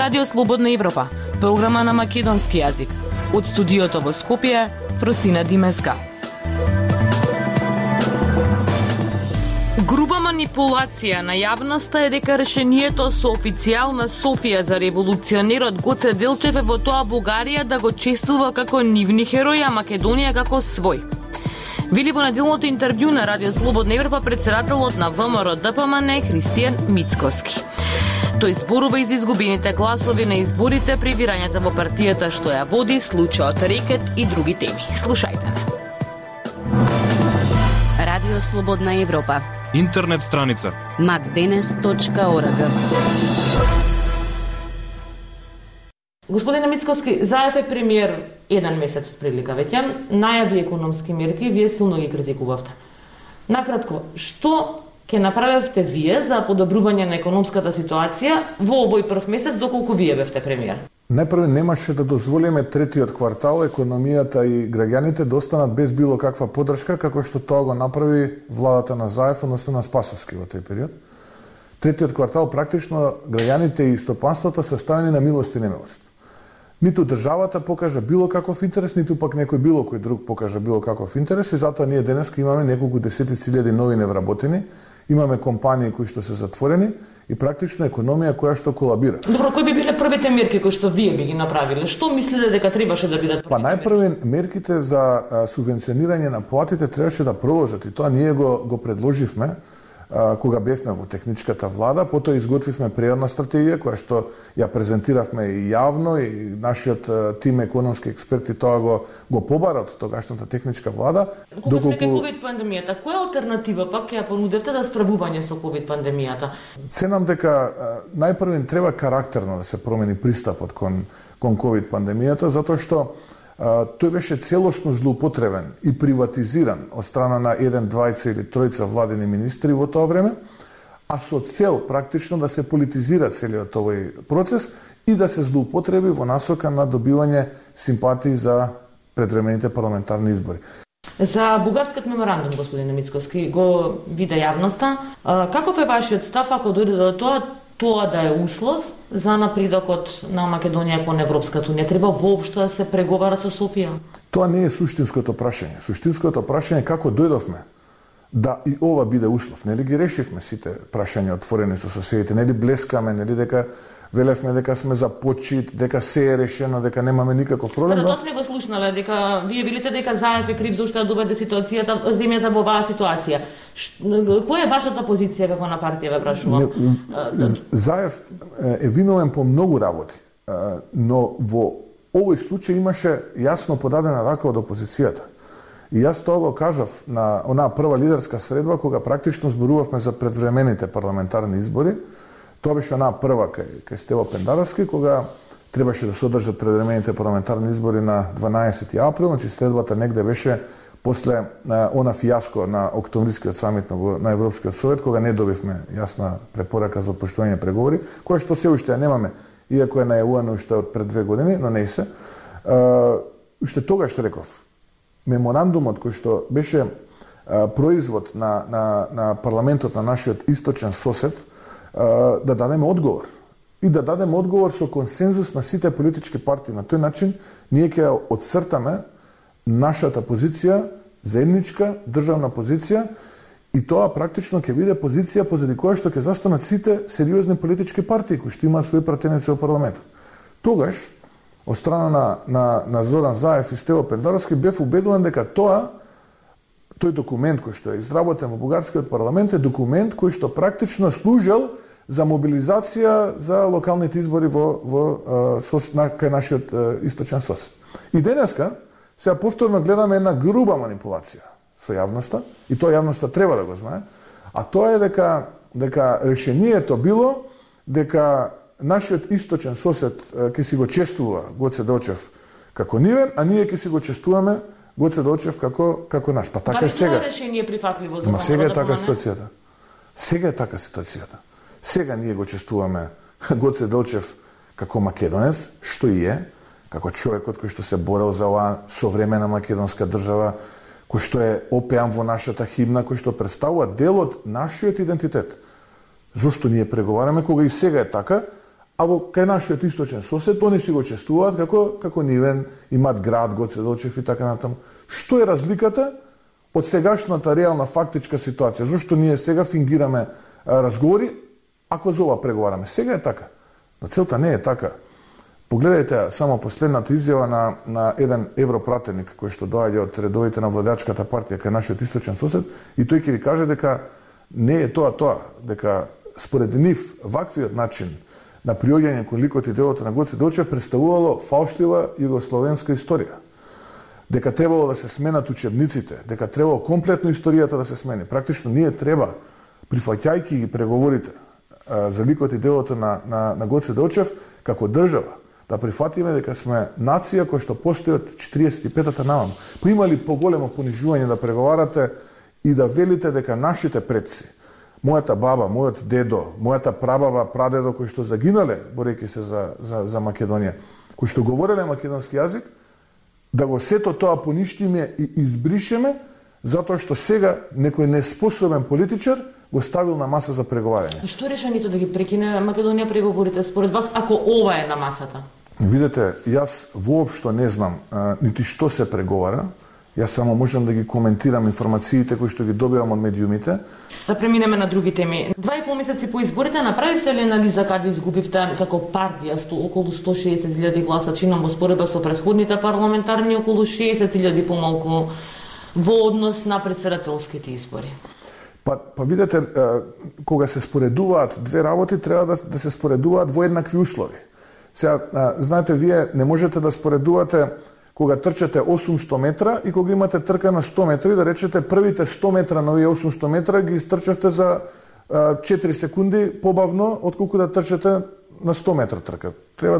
Радио Слободна Европа, програма на македонски јазик. Од студиото во Скопје, Фросина Димеска. Груба манипулација на јавноста е дека решението со официјална Софија за револуционерот Гоце Делчев е во тоа Бугарија да го чествува како нивни херои, а Македонија како свој. Вели во неделното интервју на Радио Слободна Европа председателот на ВМРО ДПМН Христијан Мицкоски. Тој зборува и за изгубените гласови на изборите, прибирањата во партијата што ја води, случајот Рекет и други теми. Слушајте не. Радио Слободна Европа. Интернет страница macdenes.org. Господине Мицкоски, Заев е премиер еден месец од прилика веќе, најави економски мерки, вие силно ги критикувавте. Накратко, што ќе направевте вие за подобрување на економската ситуација во овој прв месец доколку вие бевте премиер? Најпрво немаше да дозволиме третиот квартал економијата и граѓаните да останат без било каква поддршка, како што тоа го направи владата на Заев, односно на Спасовски во тој период. Третиот квартал практично граѓаните и стопанството се оставени на милост и немилост. Ниту државата покажа било каков интерес, ниту пак некој било кој друг покажа било каков интерес и затоа ние денеска имаме неколку десетици илјади нови невработени, имаме компании кои што се затворени и практично економија која што колабира. Добро, кои би биле првите мерки кои што вие би ги направиле? Што мислите дека требаше да бидат? Па најпрви мерките за субвенционирање на платите требаше да продолжат и тоа ние го предложивме кога бевме во техничката влада, потоа изготвивме преодна стратегија која што ја презентиравме и јавно и нашиот тим економски експерти тоа го побара од тогашната техничка влада. Кога сме кај ковид пандемијата, која алтернатива пак ја понудевте за справување со ковид пандемијата? Ценам дека најпрво треба карактерно да се промени пристапот кон ковид пандемијата, затоа што тој беше целосно злоупотребен и приватизиран од страна на 1, 2 или 3 владени министри во тоа време, а со цел практично да се политизира целиот овој процес и да се злоупотреби во насока на добивање симпатии за предвремените парламентарни избори. За бугарскиот меморандум, господине Мицкоски, го виде јавноста. Каков е вашиот став ако дојде до тоа да е услов за напредокот на Македонија кон Европската унија? Треба воопшто да се преговара со Софија? Тоа не е суштинското прашање. Суштинското прашање е како дојдовме да и ова биде услов. Нели ги решивме сите прашања отворени со соседите, нели блескаме, нели дека велевме дека сме за почит, дека се е решено, дека немаме никаков проблем. Тоа сме го слушнале, дека вие велите дека Заев е крив зашто ја доведе земјата во оваа ситуација. Која е вашата позиција како на партија, ве прашувам? Заев е виновен по многу работи, но во овој случај имаше јасно подадена рака од опозицијата. И јас тоа го кажав на онаа прва лидерска средба кога практично зборувавме за предвремените парламентарни избори. Тоа беше онаа прва кај Стево Пендаровски, кога требаше да се одржат предвремените парламентарни избори на 12 април, значи следбата негде беше после она фијаско на октомврискиот самит на Европскиот совет, кога не добивме јасна препорака за отпуштување преговори, која што се уште ја немаме, иако е најавувано уште од пред 2 години, но не се. Уште тогаш реков, меморандумот кој што беше производ на парламентот на нашиот источен сосед, да дадеме одговор. И да дадеме одговор со консензус на сите политички партии. На тој начин ние ќе отцртаме нашата позиција, заедничка државна позиција, и тоа практично ќе биде позиција позади која што ќе застанат сите сериозни политички партии кои што имаат своји пратеници во парламентот. Тогаш, од страна на Зоран Заев и Стево Пендаровски, бев убедуван дека тој документ кој што е изработен во бугарскиот парламент е документ кој што практично служел за мобилизација за локалните избори кај нашиот источен сосед. И денеска сега повторно гледаме една груба манипулација со јавноста, и тоа јавноста треба да го знае, а тоа е дека решението било дека нашиот источен сосед ќе си го чествува Гоце Делчев како нивен, а ние ќе си го чествуваме Гоце Делчев како наш. Па така е сега. Дали тоа решение прифатливо за сега е така ситуацијата. Сега е така ситуацијата. Сега ние го чествуваме Гоце Делчев како македонец, што и е, како човекот кој што се борел за оваа современа македонска држава, кој што е опеан во нашата химна, кој што представува дел од нашиот идентитет. Зошто ние преговараме кога и сега е така, а во кај нашиот источен сосед они си го чествуваат како нивен, имаат град Гоце Делчев и така натаму. Што е разликата од сегашната реална фактичка ситуација? Зошто ние сега фингираме разговори, ако за ова преговараме? Сега е така. Но целта не е така. Погледајте само последната изјава на еден европратеник кој што доаѓа од редовите на владеачката партија кај нашиот источен сосед, и тој ќе ви каже дека не е тоа, дека според нив ваквиот начин на приоѓање кон ликот и делото на Гоце Делчев представувало фалштива југословенска историја. Дека требало да се сменат учебниците, дека требало комплетно историјата да се смени. Практично ние треба, прифаќајќи ги преговорите за ликот и делото на Гоце Делчев, како држава, да прифатиме дека сме нација која што постои од 45-та наваму. Па има ли поголемо понижување да преговарате и да велите дека нашите предци, мојата баба, мојот дедо, мојата прабаба, прадедо кои што загинале борејќи се за Македонија, кои што говореле македонски јазик, да го сето тоа поништиме и избришеме затоа што сега некој неспособен политичар го ставил на маса за преговарање. Што решението да ги прекине Македонија преговорите според вас ако ова е на масата? Видете, јас воопшто не знам нити што се преговара. Јас само можам да ги коментирам информациите кои што ги добивам од медиумите. Да преминеме на други теми. 2,5 месеци по изборите направивте ли анализа каде изгубивте како партија околу 160.000 гласа, чинам во споредба со претходните парламентарни околу 60.000 помалку во однос на претседателските избори? Па видете, кога се споредуваат две работи, треба да се споредуваат во еднакви услови. Сега, знаете, вие не можете да споредувате кога трчате 800 метра и кога имате трка на 100 метри, да речете првите 100 метра на овие 800 метра ги истрчавте за 4 секунди побавно отколку да трчате на 100 метра трка. Треба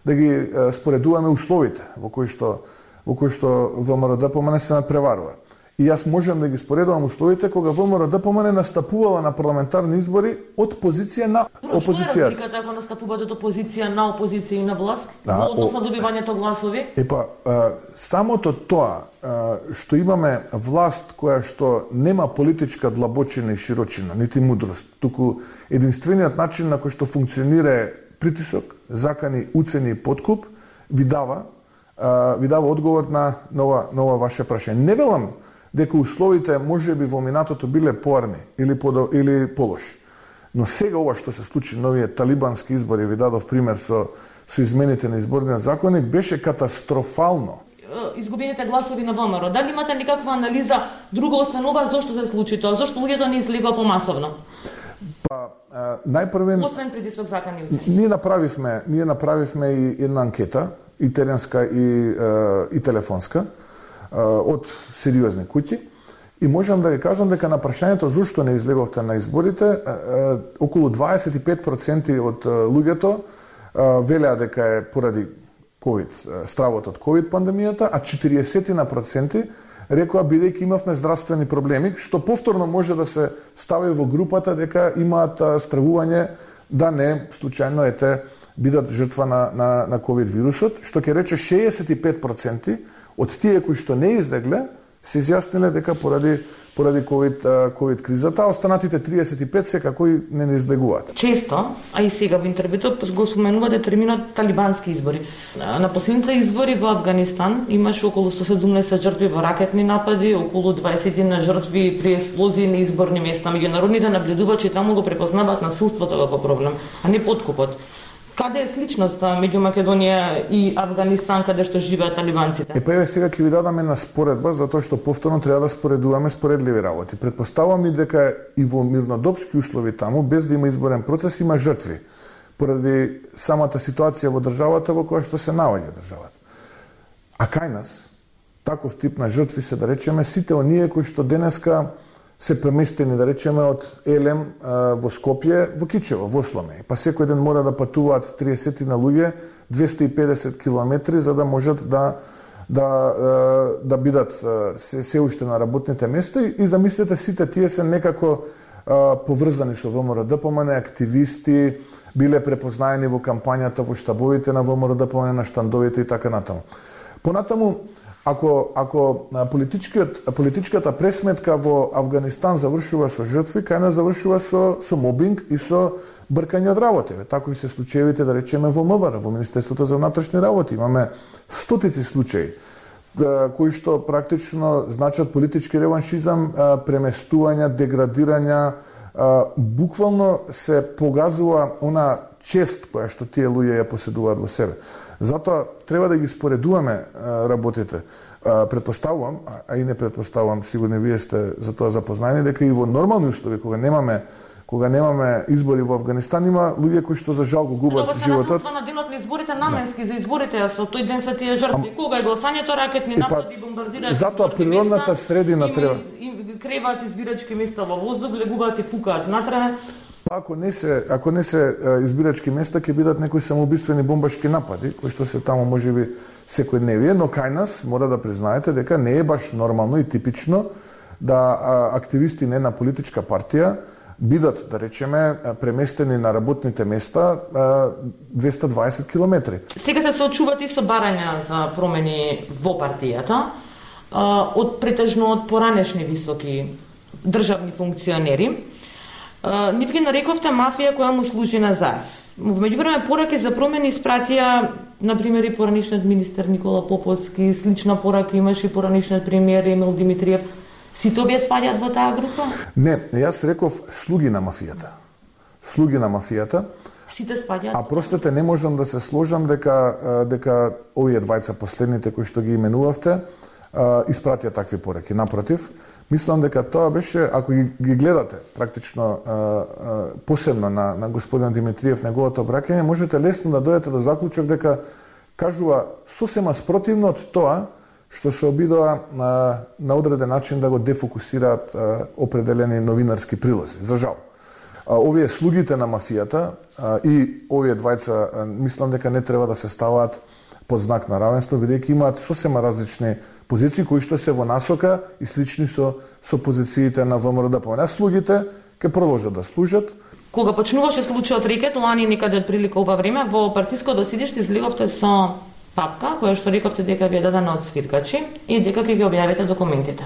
да ги споредуваме условите во кои што ВМРО-ДПМН се надпреварува. И јас можам да ги споредувам условите кога ВМРО-ДПМН настапувала на парламентарни избори од позиција на опозицијата. Што е разликата ако настапуваат од опозиција на опозиција и на власт? Во однос на добивањето гласови? Самото тоа што имаме власт која што нема политичка длабочина и широчина, нити мудрост, туку единствениот начин на кој што функционира притисок, закани, уцени и подкуп, ви дава одговор на ова ваше прашање. Не велам дека условите може би во минатото биле поарни или полоши. Но сега ова што се случи на овие талибански избори, ви дадов пример со измените на изборниот законник, беше катастрофално. Изгубените гласови на ВМРО, дали имате никаква анализа друга освен ова, зошто се случи тоа? Зошто луѓето не излегоа помасовно? Најпрвен освен притисок закани уцени. Ние направивме и една анкета, и теренска и телефонска, од сериозни куќи, и можам да ви кажам дека на прашањето зошто не излеговте на изборите, околу 25% од луѓето велеа дека е поради COVID, стравот од COVID пандемијата, а 40% рекоа бидејќи имавме здравствени проблеми, што повторно може да се стави во групата дека имаат стравување да не случајно бидат жртва на COVID вирусот, што ќе рече 65% од тие кои што не излегле се изјасниле дека поради COVID кризата, а останатите 35 секако и не излегуваат. Често, а и сега во интервјуто го споменувате терминот талибански избори. На последните избори во Авганистан имаше околу 117 жртви во ракетни напади, околу 20 на жртви при експлозии на изборни места. Меѓународните наблюдувачи таму го препознаваат насилството како проблем, а не подкупот. Каде е сличноста меѓу Македонија и Авганистан каде што живеат талибанците? Сега ќе ви дадам една споредба, затоа што повторно треба да споредуваме споредливи работи. Претпоставувам и дека и во мирнодопски услови таму, без да има изборен процес, има жртви, поради самата ситуација во државата во која што се наоѓа државата. А кај нас, таков тип на жртви се, да речеме, сите оние кои што денеска се преместени, да речеме, од Елем во Скопје, во Кичево, во Сломе. Па секој ден мора да патуваат 30 на луѓе, 250 километри, за да можат да бидат се уште на работните места. И замислете, сите тие се некако поврзани со ВМРО-ДПМН, активисти, биле препознаени во кампањата, во штабовите на ВМРО-ДПМН, на штандовите и така натаму. Понатаму, Ако политичката пресметка во Авганистан завршува со жртви, кај нас завршува со мобинг и со бркање од работа. Такви се случаевите, да речеме, во МВР, во Министерството за внатрешни работи. Имаме стотици случаи кои што практично значат политички реваншизам, преместувања, деградирања, буквално се погазува она чест која што тие луѓе ја поседуваат во себе. Затоа треба да ги споредуваме работите. Предпоставувам, а и не предпоставувам, сигурно вие сте за тоа запознаени, дека и во нормални услови, кога немаме избори во Афганистан, има луѓе кои што за жал го губат животот. На денот на изборите наменски за изборите, а со тој ден се тие жртви. Кога е гласањето, ракетни напади, бомбардираат. Затоа природната средина треба креваат избирачки места во воздух, легуваат и пукаат натре. Ако не се избирачки места, ќе бидат некои самоубиствени бомбашки напади, кои што се таму можеби секојдневие, но кај нас мора да признаете дека не е баш нормално и типично да активисти на една политичка партија бидат, да речеме, преместени на работните места 220 километри. Сега се соочуват и со барања за промени во партијата, претежно од поранешни високи државни функционери. Нив ги нарековте мафија која му служи на Заев. Во меѓувреме пораки за промени испратија, например, и поранишниот министер Никола Поповски, слична порака имаше и поранишниот премиер Емил Димитриев. Сите овие спаѓаат во таа група? Не, јас реков слуги на мафијата. Слуги на мафијата. Сите спаѓаат? А простете, не можам да се сложам дека овие двајца последните кои што ги именувавте испратија такви пораки. Напротив, мислам дека тоа беше, ако ги гледате практично посебно на господин Димитриев неговото обраќање, можете лесно да дојдете до заклучок дека кажува сосема спротивно од тоа што се обидоа на одреден начин да го дефокусираат определени новинарски прилози. За жал. Овие слугите на мафијата и овие двајца мислам дека не треба да се ставаат под знак на равенство, бидејќи имаат сосема различни позиции кои што се во насока и слични со позициите на ВМРО-ДПМНЕ. Слугите ќе продолжат да служат. Кога почнуваше случајот Рекет, лани некаде од прилика ова време, во партиското седиште излеговте со папка, која што рековте дека ви е дадена од свиркачи и дека ќе ги објавите документите.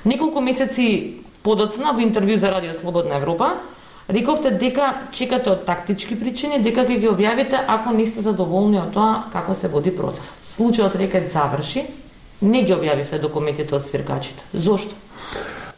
Неколку месеци подоцна во интервју за Радио Слободна Европа, рековте дека чекате од тактички причини, дека ќе ги објавите ако не сте задоволни од тоа како се води процесот. Случајот Рекет заврши, не ги објавивте документите од свиркачите. Зошто?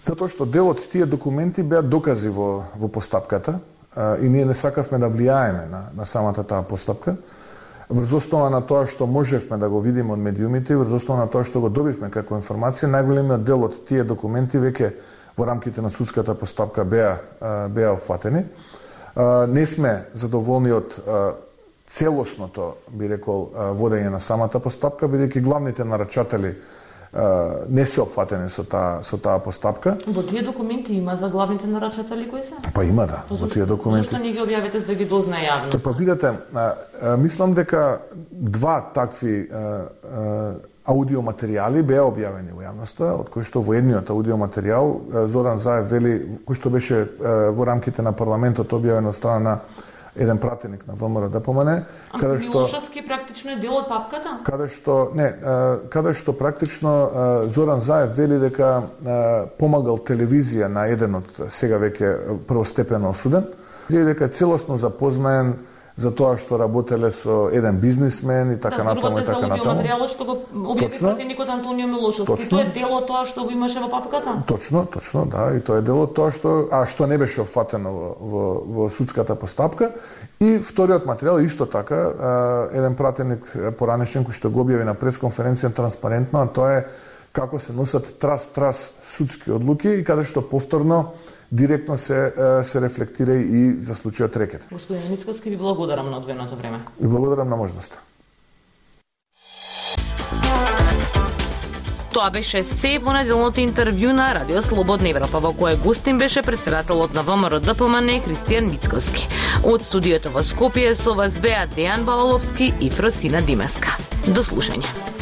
Затоа што дел од тие документи беа докази во постапката и ние не сакавме да влијаеме на самата таа постапка. Врз основа на тоа што можевме да го видиме од медиумите, врз основа на тоа што го добивме како информација, најголемиот дел од тие документи веќе во рамките на судската постапка беа опфатени. Не сме задоволни од целосното, би рекол, водење на самата постапка, бидејќи главните нарачатели не се опфатени со таа постапка. Во тие документи има за главните нарачатели кои се? Па има, да, во тие документи. Зошто не ги објавите за да ги дознае јавноста? Па видете, мислам дека два такви аудиоматеријали беа објавени во јавноста, од кои што во едниот аудиоматеријал Зоран Заев вели, кој што беше во рамките на парламентот објавен од страна на еден пратеник на ВМРО-ДПМНЕ, каде што Милошевски практично е дел од папката? Каде што практично Зоран Заев вели дека помагал телевизија на еден од сега веќе првостепено осуден, и дека е целосно запознаен за тоа што работеле со еден бизнисмен и така натаму и така натаму. Материјалот што го објави пратеникот Антонио Милошевски, тоа е дел од тоа што го имаше во папката? Точно, да, и тоа е дел од тоа што не беше опфатено во судската постапка. И вториот материјал исто така еден пратеник поранешен кој што го објави на пресконференција транспарентно, а тоа е како се носат трас судски одлуки и каде што повторно директно се рефлектира и за случајот Рекет. Господин Мицкоски, ви благодарам на одвоеното време. И благодарам на можноста. Тоа беше се во неделното интервју на Радио Слободна Европа, во кое гостин беше председателот на ВМРО-ДПМНЕ Христијан Мицкоски. Од студиото во Скопје со вас беа Дејан Балаловски и Фросина Димеска. До слушање.